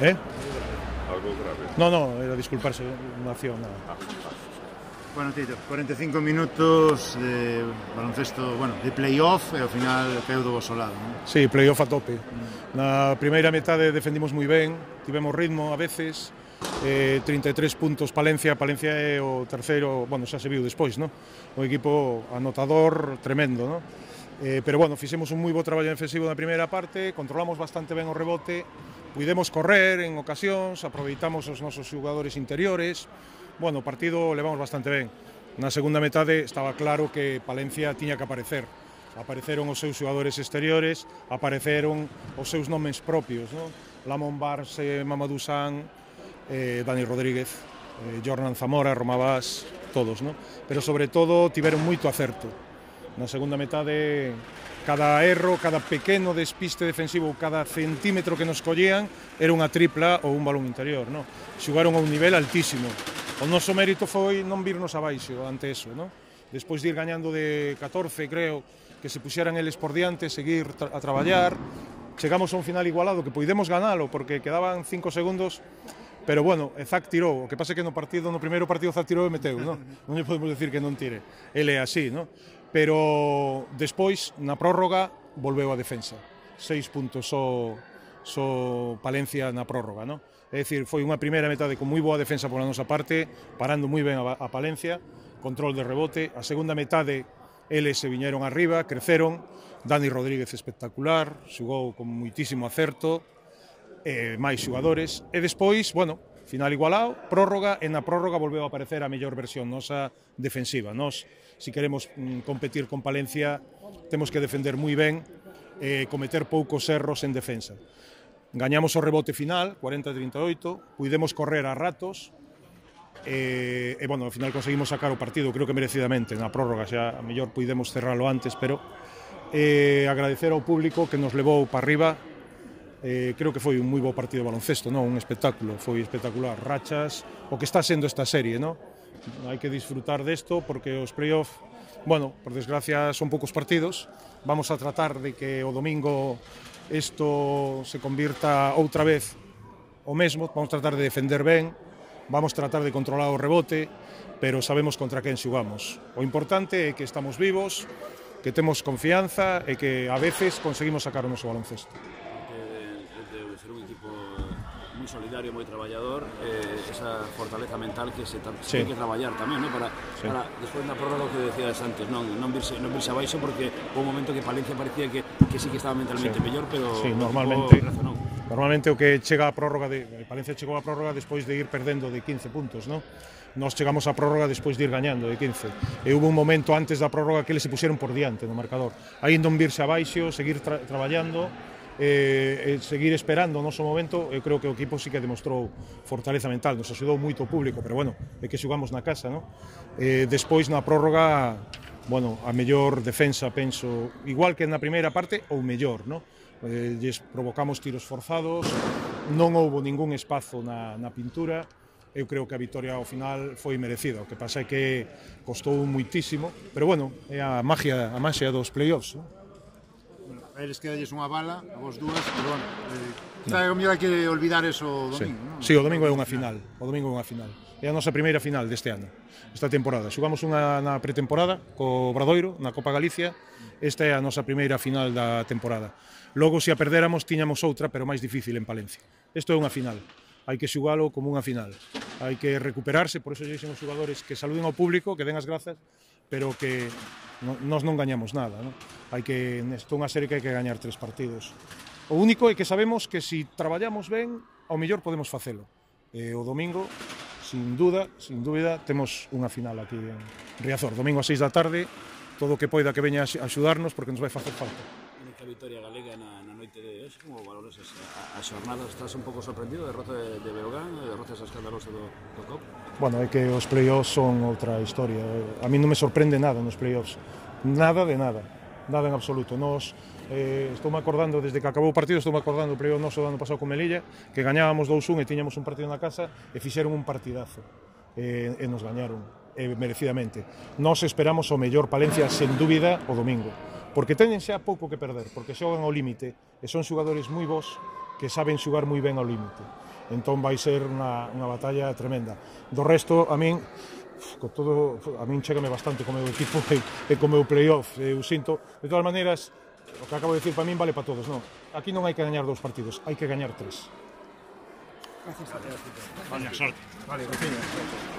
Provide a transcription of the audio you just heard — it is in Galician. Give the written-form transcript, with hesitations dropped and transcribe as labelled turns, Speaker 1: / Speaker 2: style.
Speaker 1: Eh?
Speaker 2: Algo grave.
Speaker 1: No, era disculparse, unha acción, nada.
Speaker 3: Bueno, Tito, 45 minutos de baloncesto, bueno, de play-off e ao final caeu do vosso lado, non?
Speaker 1: Sí, play-off a tope. Na primeira metade defendimos moi ben, tivemos ritmo a veces, 33 puntos Palencia é o terceiro, bueno, xa se viu despois, non? Un equipo anotador tremendo, non? Pero bueno, fixemos un moi bo traballo defensivo na primeira parte, controlamos bastante ben o rebote, puidemos correr en ocasións, aproveitamos os nosos xogadores interiores. Bueno, o partido levamos bastante ben. Na segunda metade estaba claro que Palencia tiña que aparecer. Apareceron os seus xogadores exteriores, apareceron os seus nomes propios, non? Lamont Barse, Mamadou San, Dani Rodríguez, Jornan Zamora, Romabás, todos, non? Pero sobre todo tiveron moito acerto. Na segunda metade, cada erro, cada pequeno despiste defensivo, cada centímetro que nos collían era unha tripla ou un balón interior, non? Xugaron a un nivel altísimo. O noso mérito foi non virnos abaixo ante eso, non? Despois de ir gañando de 14, creo, que se puxeran eles por diante, seguir a traballar. Chegamos a un final igualado, que poidemos ganalo, porque quedaban 5 segundos, pero bueno, Zach tirou. O que pasa é que no primeiro partido Zach tirou e meteu, non? Non lle podemos decir que non tire. Ele é así, non? Pero despois, na prórroga, volveu a defensa. 6 puntos só Palencia na prórroga, non? É dicir, foi unha primeira metade con moi boa defensa pola nosa parte, parando moi ben a Palencia, control de rebote. A segunda metade, eles se viñeron arriba, creceron. Dani Rodríguez espectacular, xugou con moitísimo acerto, máis xogadores. E despois, bueno, final igualado, prórroga, e na prórroga volveu a aparecer a mellor versión nosa defensiva. Nos, se queremos competir con Palencia, temos que defender moi ben, cometer poucos erros en defensa. Gañamos o rebote final, 40-38, puidemos correr a ratos, e bueno, ao final conseguimos sacar o partido, creo que merecidamente, na prórroga, xa a mellor puidemos cerralo antes, pero agradecer ao público que nos levou para arriba. Creo que foi un moi bo partido de baloncesto, non? Un espectáculo, foi espectacular, rachas, o que está sendo esta serie, non? Hai que disfrutar desto porque os play-off, bueno, por desgracia son poucos partidos, vamos a tratar de que o domingo isto se convirta outra vez o mesmo, vamos tratar de defender ben, vamos tratar de controlar o rebote, pero sabemos contra quen xugamos. O importante é que estamos vivos, que temos confianza e que a veces conseguimos sacar o noso baloncesto.
Speaker 4: De ser un equipo moi solidario, moi traballador, esa fortaleza mental que se ten que traballar tamén, ¿no? Para despois na prórroga que decías antes, non virse abaixo, porque houve un momento que Palencia parecía que sí que estaba mentalmente mellor, pero
Speaker 1: normalmente o que chega a prórroga Palencia chegou a prórroga despois de ir perdendo de 15 puntos, non? Nós chegamos a prórroga despois de ir gañando de 15. E hubo un momento antes da prórroga que eles se puxeron por diante no marcador. Aí non virse abaixo, seguir traballando, seguir esperando o noso momento. Eu creo que o equipo sí que demostrou fortaleza mental, nos axudou moito o público, pero bueno, é que xugamos na casa, non? Despois na prórroga, bueno, a mellor defensa, penso, igual que na primeira parte, ou mellor, non? Lles provocamos tiros forzados, non houbo ningún espazo na pintura. Eu creo que a vitoria ao final foi merecida, o que pasa é que costou muitísimo, pero bueno, é a magia dos play-offs, non?
Speaker 3: A eles quedalles unha bala, a vos dúas, pero bueno, o mellor hai que olvidar eso o domingo, non?
Speaker 1: Sí, o domingo é unha final, é a nosa primeira final deste ano, esta temporada. Xugamos unha na pretemporada co Obradoiro, na Copa Galicia, esta é a nosa primeira final da temporada. Logo, se a perdéramos, tiñamos outra, pero máis difícil en Palencia. Isto é unha final, hai que xugalo como unha final, hai que recuperarse, por eso lle dixen os xogadores que saluden ao público, que den as grazas, pero que nós non gañamos nada, non? Hai que, isto é unha serie que hai que gañar 3 partidos. O único é que sabemos que se traballamos ben, ao mellor podemos facelo. O domingo, sin dúbida, temos unha final aquí en Riazor. Domingo a 6 da tarde, todo o que poida que veña a axudarnos, porque nos vai facer falta.
Speaker 4: A vitoria galega na noite de hoxe, como valores a xornada? Estás un pouco sorprendido da derrota de Breogán, da derrota escandalosa do COP?
Speaker 1: Bueno, é que os play-offs son outra historia. A mí non me sorprende nada nos play-offs, nada de nada en absoluto. Nos estou me acordando, desde que acabou o partido, estou me acordando do play-off noso do ano pasado con Melilla, que gañábamos 2-1 e tiñamos un partido na casa e fixeron un partidazo e nos gañaron merecidamente. Nos esperamos o mellor Palencia, sen dúbida, o domingo, porque teñen xa pouco que perder, porque xogan ao límite e son xogadores moi bons que saben xugar moi ben ao límite. Entón vai ser unha batalla tremenda. Do resto, a min chégame bastante co meu equipo e co meu playoff. Eu sinto, de todas maneiras, o que acabo de decir para min vale para todos, non? Aquí non hai que gañar 2 partidos, hai que gañar 3.
Speaker 3: Gracias. Vale, sorte.
Speaker 1: Vale, gracias.